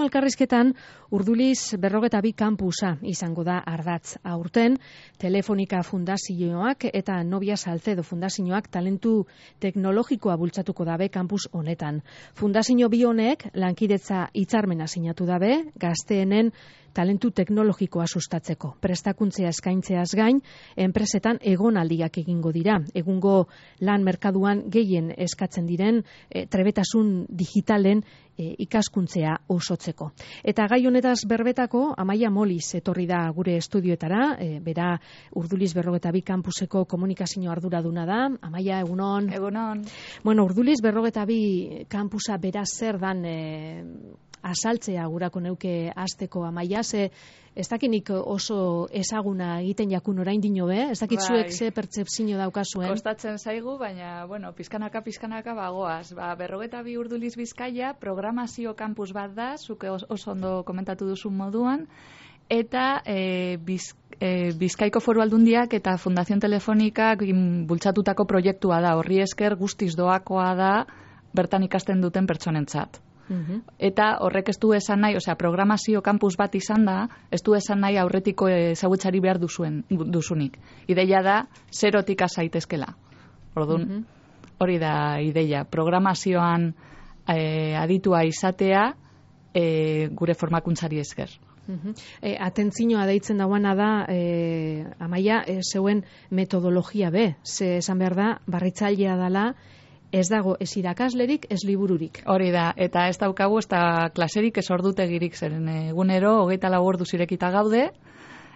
elkarrizketan Urduliz 42 kampusa izango da ardatz. Aurten Telefonika Fundazioak eta Nobia Salcedo Fundazioak talentu teknologikoa bultzatuko dabe kampus honetan. Fundazio bi honek lankidetza hitzarmena sinatu dabe gazteenen talentu teknologikoa sustatzeko. Prestakuntzea eskaintzeaz gain, enpresetan egonaldiak egingo dira. Egungo lan merkaduan gehien eskatzen diren trebetasun digitalen ikaskuntzea osotzeko. Eta gai honetaz berbetako Amaia Moliz etorri da gure estudioetara, bera Urduliz 42 kampuseko komunikazio arduraduna da. Amaia, egunon. Egunon. Bueno, Urduliz 42 kampusa bera zer dan asaltzea gurako neuke hasteko, Amaia, ze ez dakinik oso ezaguna egiten jakun orain dino be, ez dakit zuek ze pertzepzio daukazuen. Kostatzen zaigu, baina, bueno, pizkanaka bagoaz. 42 Urduliz Bizkaia programazio kampus bat da, zuk oso ondo komentatu duzun moduan, eta Bizkaiko Foru Aldundiak eta Fundación Telefonikak bultzatutako proiektua da, horri esker guztiz doakoa da bertan ikasten duten pertsonentzat. Eta horrek ez du esan nahi, programazio kampus bat izan da, ez du esan nahi aurretiko ezagutzari behar duzunik. Ideia da, zerotik azaitezkela. Orduan, hori da ideia. Programazioan aditua izatea gure formakuntzari esker. Atentzioa deitzen dauana da, Amaia, zeuen metodologia be, ze esan behar da, barritzailea dela, ez dago ez irakaslerik, ez libururik. Hori da, eta ez daukagu, ez da klaserik, ez ordutegirik, zeren egunero, 24 orduz irekita gaude,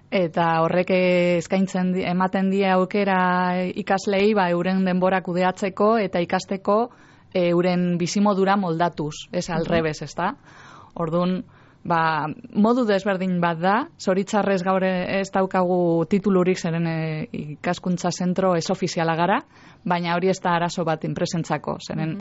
eta horrek eskaintzen ematen die aukera ikaslei, euren denbora kudeatzeko eta ikasteko euren bizimodura moldatuz, ez alrebez, ez da? Orduan, modu desberdin bat da, zoritzarrez gaur ez daukagu titulurik, zeren ikaskuntza zentro ez ofiziala gara, baina hori ez da arazo bat enpresentzako, zeren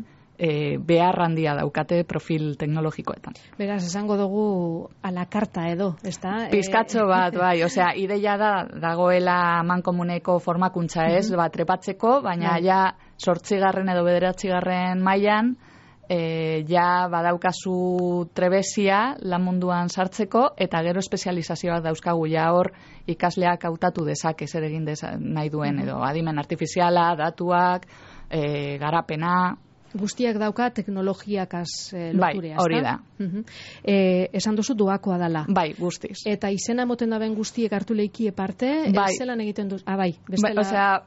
behar handia daukate profil teknologikoetan. Beraz, esango dugu a la carta edo, ez da? Pizkatxo bat, bai, ideia dagoela mankomuneko formakuntza ez, trepatzeko, baina ja 8. edo 9. mailan badaukazu trebezia lan munduan sartzeko, eta gero espezializazioak dauzkagu hor ikasleak hautatu dezake zer egin nahi duen, edo adimen artifiziala, datuak, garapena. Guztiak dauka teknologiakaz loturea, bai, hori da. Esan duzu doakoa dela. Bai, guztiz. Eta izena moten daben guztiek hartu leiki parte, zelan egiten duz? Bai, bestela.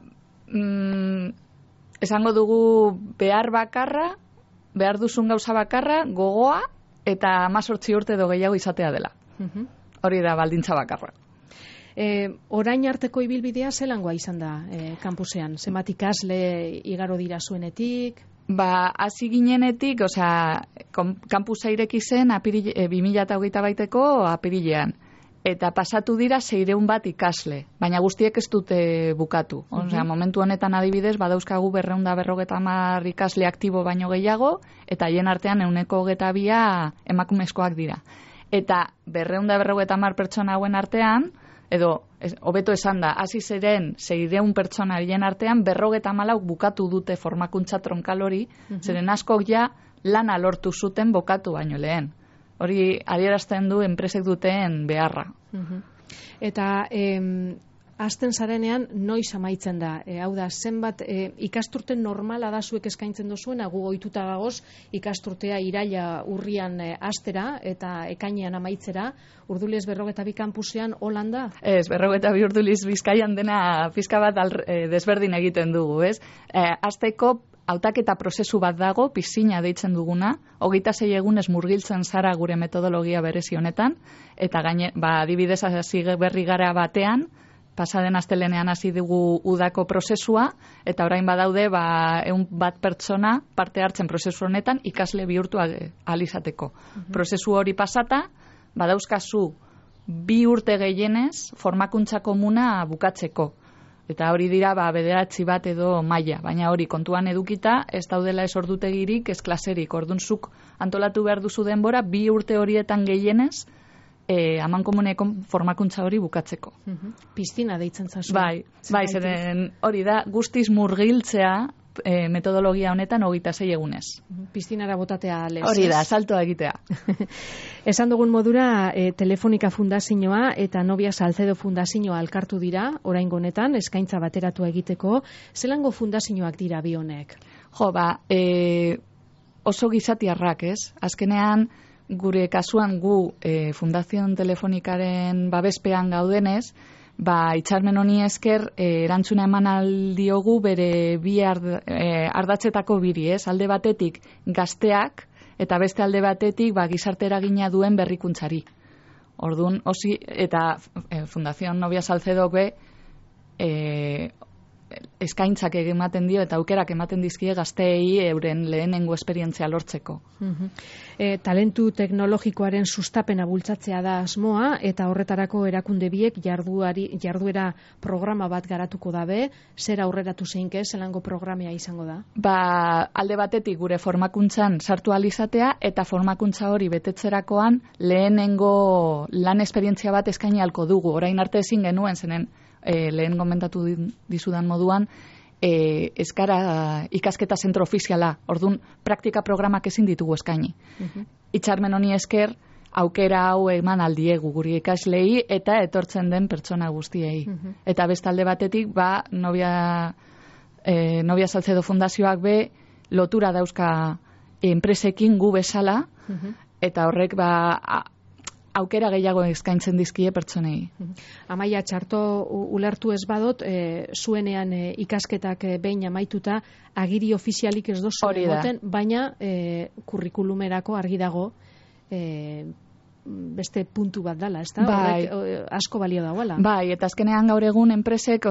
Esango dugu behar duzun gauza bakarra, gogoa, eta 18 urte edo gehiago izatea dela. Hori da baldintza bakarra. Orain arteko ibilbidea zelangoa izan da kampusean? Zenbat ikasle igaro dira zuenetik? Hasi ginenetik, kampusa ireki zen 2028ko apirilean. Eta pasatu dira 600 bat ikasle, baina guztiek ez dute bukatu. Momentu honetan adibidez, badauzkagu 250 ikasle aktibo baino gehiago, eta haien artean 122 emakumezkoak dira. Eta 250 pertsona hauen artean, edo hobeto esan da, hasi ziren 600 pertsona haien artean, 254 bukatu dute formakuntza tronkal hori, zeren askok ja lana lortu zuten bukatu baino lehen. Hori adierazten du enpresek duten beharra. Eta hasten zarenean noiz amaitzen da? Hau da, zenbat ikasturte normala da zuek eskaintzen duzuena, gu ohituta gagoz ikasturtea iraila urrian hastera eta ekainean amaitzera, Urduliz 42 kampusean Holanda? Ez, 42 Urduliz Bizkaian dena pizka bat desberdin egiten dugu, ez? Hasteko hautaketa prozesu bat dago, pisina deitzen duguna, 26 egunez murgiltzen zara gure metodologia berezi honetan, eta adibidez hasi berri gara batean, pasaden astelenean hasi dugu udako prozesua, eta orain badaude 100 bat pertsona parte hartzen prozesu honetan ikasle bihurtu alizateko. Prozesu hori pasata, badauzkazu 2 urte gehienez formakuntza komuna bukatzeko. Eta hori dira 9 bat edo maila, baina hori kontuan edukita ez daudela ez ordutegirik, ez klaserik. Ordunzuk antolatu behar duzu denbora 2 urte horietan gehienez amankomuneko formakuntza hori bukatzeko. Piztina deitzen zazu. Bai, zeren hori da guztiz murgiltzea metodologia honetan 26 egunez. Piztinara botatea lez. Hori da, saltoa egitea. Esan dugun modura, Telefonika Fundazioa eta Nobia Salcedo Fundazioa alkartu dira, oraingo honetan, eskaintza bateratu egiteko. Zelango fundazioak dira bi honek? Jo, oso gizatiarrak, ez? Azkenean, gure kasuan gu Fundazion Telefonikaren babespean gaudenez, hitzarmen honi esker erantzuna eman aldiogu bere bi ardatzetako biri, ez? Alde batetik gazteak eta beste alde batetik gizarte eragina duen berrikuntzari. Orduan, eta Fundazion Nobia Salcedok eskaintzak ematen dio eta aukerak ematen dizkie gazteei euren lehenengo esperientzia lortzeko. Talentu teknologikoaren sustapena bultzatzea da asmoa eta horretarako erakunde biek jarduera programa bat garatuko dabe, zer aurreratu zeinke, zelango programea izango da? Alde batetik gure formakuntzan sartu alizatea eta formakuntza hori betetzerakoan lehenengo lan esperientzia bat eskaini halko dugu. Orain arte ezin genuen zenen lehen komentatu dizudan moduan, eskara ikasketa zentro ofiziala, orduan praktika programak ezin ditugu eskaini. Hitzarmen honi esker, aukera hau eman aldiegu guri ikaslei eta etortzen den pertsona guztiei. Eta bestalde batetik, Nobia Salcedo Fundazioak lotura dauzka enpresekin gu bezala, eta horrek aukera gehiago eskaintzen dizkie pertsonei. Amaia, txarto ulertu ez badot, zuenean ikasketak behin amaituta, agiri ofizialik ez dozu egoten, baina kurrikulumerako argi dago beste puntu bat dala, ez da? Horrek asko balio dagoela. Eta azkenean gaur egun enpresek,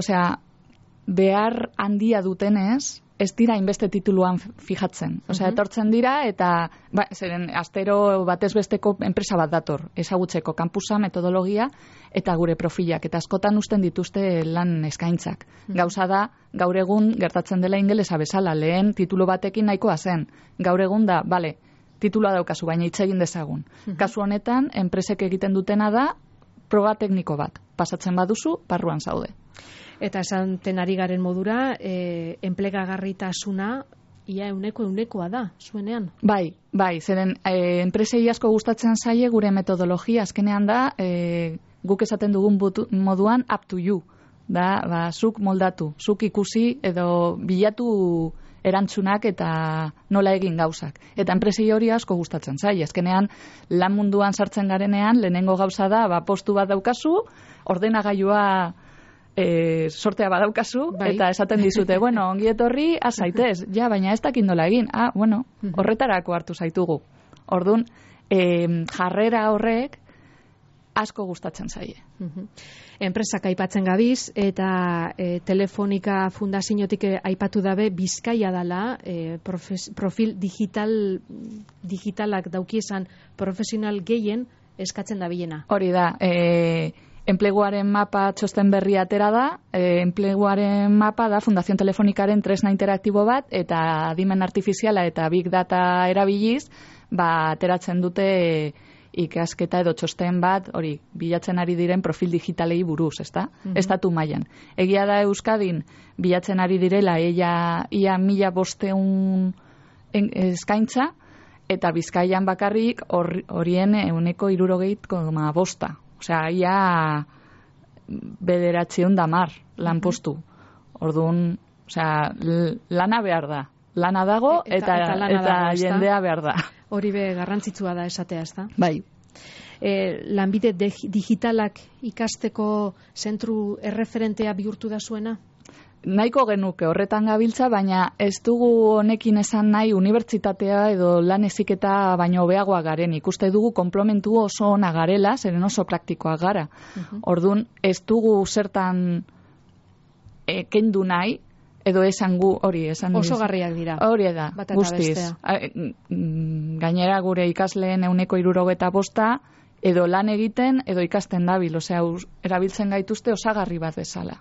behar handia dutenez, ez dira inbeste tituluan fijatzen. Etortzen dira eta zeren astero batez besteko enpresa bat dator, ezagutzeko kampusa, metodologia eta gure profilak. Eta askotan uzten dituzte lan eskaintzak. Gauza da, gaur egun gertatzen dela ingelesa bezala, lehen titulu batekin nahikoa zen. Gaur egun da, titulua daukazu, baina hitz egin dezagun. Kasu honetan, enpresek egiten dutena da, proba tekniko bat. Pasatzen baduzu, barruan zaude. Eta esanten ari garen modura, enplegagarritasuna ia ehunekoa da, zuenean? Zeren enpresei asko gustatzen zaie gure metodologia, azkenean da, guk esaten dugun moduan up to you, da, zuk moldatu, zuk ikusi edo bilatu erantzunak eta nola egin gauzak. Eta enpresei hori asko gustatzen zaie, azkenean lan munduan sartzen garenean, lehenengo gauza da, postu bat daukazu, ordenagailua sortea badaukazu, eta esaten dizute, ongi etorri, zaitez, baina ez dakit nola egin, horretarako hartu zaitugu. Orduan, jarrera horrek asko gustatzen zaie. Enpresak aipatzen gabiz, eta Telefonika Fundaziotik aipatu dabe, Bizkaia dala, profil digitalak daukiesan profesional gehien eskatzen da bilena. Hori da, enpleguaren mapa txosten berri atera da, enpleguaren mapa da Fundazion Telefonikaren tresna interaktibo bat, eta adimen artifiziala eta big data erabiliz, ateratzen dute ikasketa edo txosten bat, hori, bilatzen ari diren profil digitalei buruz, ezta? Estatu mailan. Egia da Euskadin bilatzen ari direla ia 1500 eskaintza, eta Bizkaian bakarrik horien 60,5%. Ia 910 lanpostu. Orduan, lana behar da. Lana dago eta jendea behar da. Hori garrantzitsua da esatea, ezta? Bai. Lanbide digitalak ikasteko zentru erreferentea bihurtu da zuena? Nahiko genuke horretan gabiltza, baina ez dugu honekin esan nahi unibertsitatea edo lan heziketa baino hobeagoa garen. Ikuste dugu konplementu oso ona garela, zeren oso praktikoak gara. Orduan, ez dugu zertan kendu nahi, edo esan gu hori esan oso garriak dira. Hori da, guztiz. Gainera gure ikasleen 65% edo lan egiten, edo ikasten dabil, erabiltzen gaituzte osagarri bat bezala.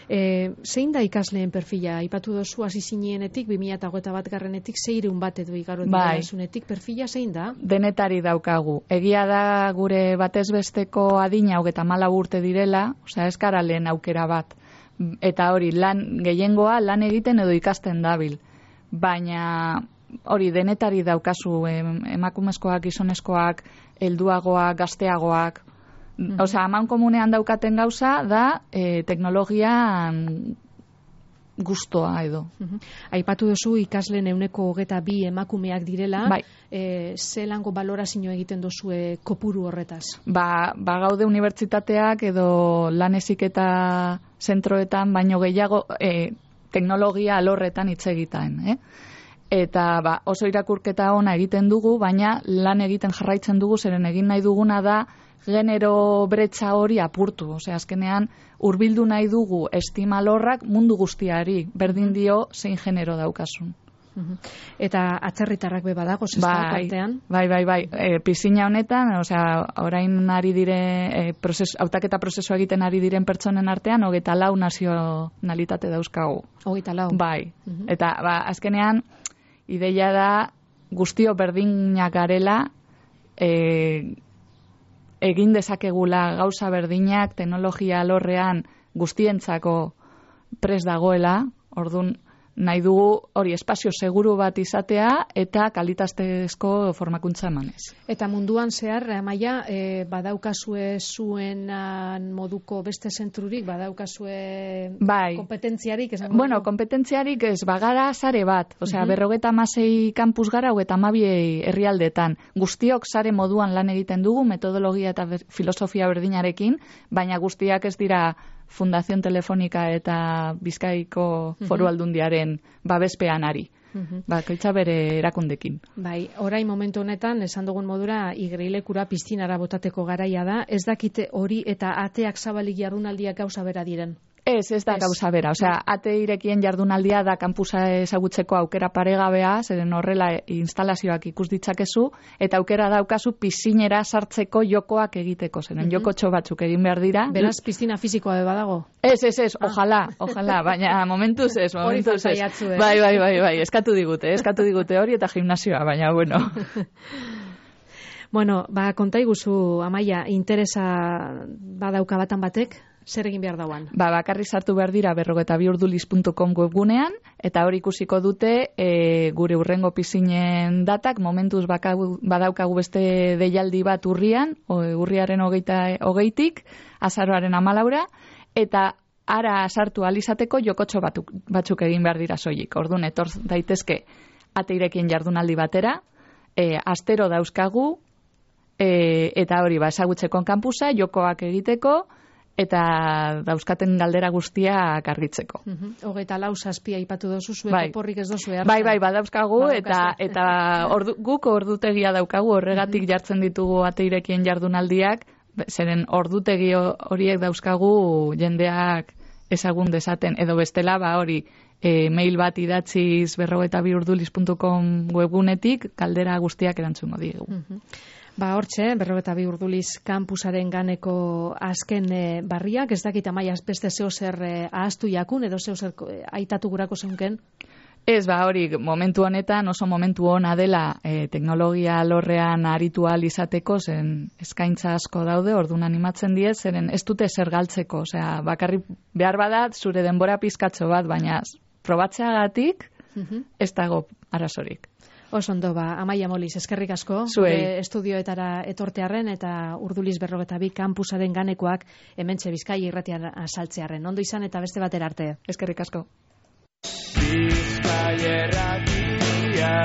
Zein da ikasleen perfila? Aipatu dozu hasi zinenetik, 2021 600 bat edo igaro dira perfila zein da? Denetari daukagu. Egia da gure batez besteko adina 34 urte direla, ez gara lehen aukera bat. eta hori gehiengoa lan egiten edo ikasten dabil. Baina hori denetari daukazu emakumezkoak, gizonezkoak, helduagoak, gazteagoak. Osea, aman komunean daukaten gauza da teknologian gustoa edo. Aipatu duzu ikasleen 122 emakumeak direla, bai. Zelango balorazio egiten duzue kopuru horretaz? Ba gaude unibertsitateak edo lan heziketa zentroetan baino gehiago teknologia alorretan hitz egiten, Eta oso irakurketa ona egiten dugu, baina lan egiten jarraitzen dugu, zeren egin nahi duguna da genero bretxa hori apurtu. Osea, azkenean hurbildu nahi dugu estima alorrak mundu guztiari, berdin dio zein genero daukasun. Eta atzerritarrak be badago artean? Bai. Pisina honetan, osea, orain ari dire hautaketa prozesua egiten ari diren pertsonen artean 24 nazionalitate dauzkagu. 24. Bai. Eta azkenean ideia da guztio berdinak garela, egin dezakegula gauza berdinak teknologia alorrean guztientzako prest dagoela, ordun nahi dugu hori espazio seguru bat izatea eta kalitatezko formakuntza emanez. Eta munduan zehar, Amaia, badaukazue zuen moduko beste zentrurik, badaukazue kompetentziarik? Bueno, kompetentziarik ez, bagara sare bat, osea, 56 kampus gara, 32 herrialdetan. Guztiok sare moduan lan egiten dugu, metodologia eta filosofia berdinarekin, baina guztiak ez dira Fundación Telefonika eta Bizkaiko Foru Aldundiaren babespean ari. Bakoitza bere erakundekin. Bai, orain momentu honetan, esan dugun modura, igerilekura piztinara botateko garaia da, ez dakite hori eta ateak zabalik jardunaldiak gauza bera diren? Ez da gauza bera. Osea, ate irekien jardunaldia da kanpusa ezagutzeko aukera paregabea, zeren horrela instalazioak ikus ditzakezu, eta aukera daukazu piszinera sartzeko jokoak egiteko, zeren jokotxo batzuk egin behar dira. Beraz, piztina fisikoa badago? Ez, ojalá, baina momentuz ez. Hori faltaiatzu, Bai, eskatu digute hori eta gimnasioa, baina bueno. Bueno, kontaiguzu, Amaia, interesa badauka batan batek? Zer egin behar dauan? Bakarri sartu behar dira 42urduliz.com webgunean, eta hori ikusiko dute gure urrengo pizinen datak, momentuz badaukagu beste deialdi bat urrian, urriaren 20tik, azaroaren 14, eta ara sartu alizateko jokotxo batzuk egin behar dira soilik. Orduan, etor daitezke ateirekien jardunaldi batera, astero dauzkagu, eta hori ezagutzeko kanpusa, jokoak egiteko, eta dauzkaten galdera guztiak argitzeko. 24 zazpia aipatu dozu, zuek oporrik ez dozu hartzen. Bai, badauzkagu, eta guk ordutegia daukagu, horregatik jartzen ditugu ateirekien jardunaldiak, zeren ordutegi horiek dauzkagu jendeak ezagun dezaten, edo bestela hori mail bat idatziz 42urduliz.com webgunetik galdera guztiak erantzungo digu. Hortxe, 42 urduliz kampusaren ganeko azken barriak, ez dakit Amaia beste zeo zer ahaztu jakun, edo zeo zer aitatu gurako zeunken? Ez, hori, momentu honetan oso momentu ona dela teknologia alorrean aritu ahal izateko, zen eskaintza asko daude, orduan animatzen diez, zeren ez dute zer galtzeko, osea, bakarrik behar badat zure denbora pizkatxo bat, baina probatzeagatik ez dago arazorik. Oso ondo, Amaia Moliz, eskerrik asko, estudioetara etortearren eta Urduliz 42 kampusaren ganekoak hementxe Bizkaia irratian azaltzearren. Ondo izan eta beste batera arte. Eskerrik asko. Bizkaia irratia.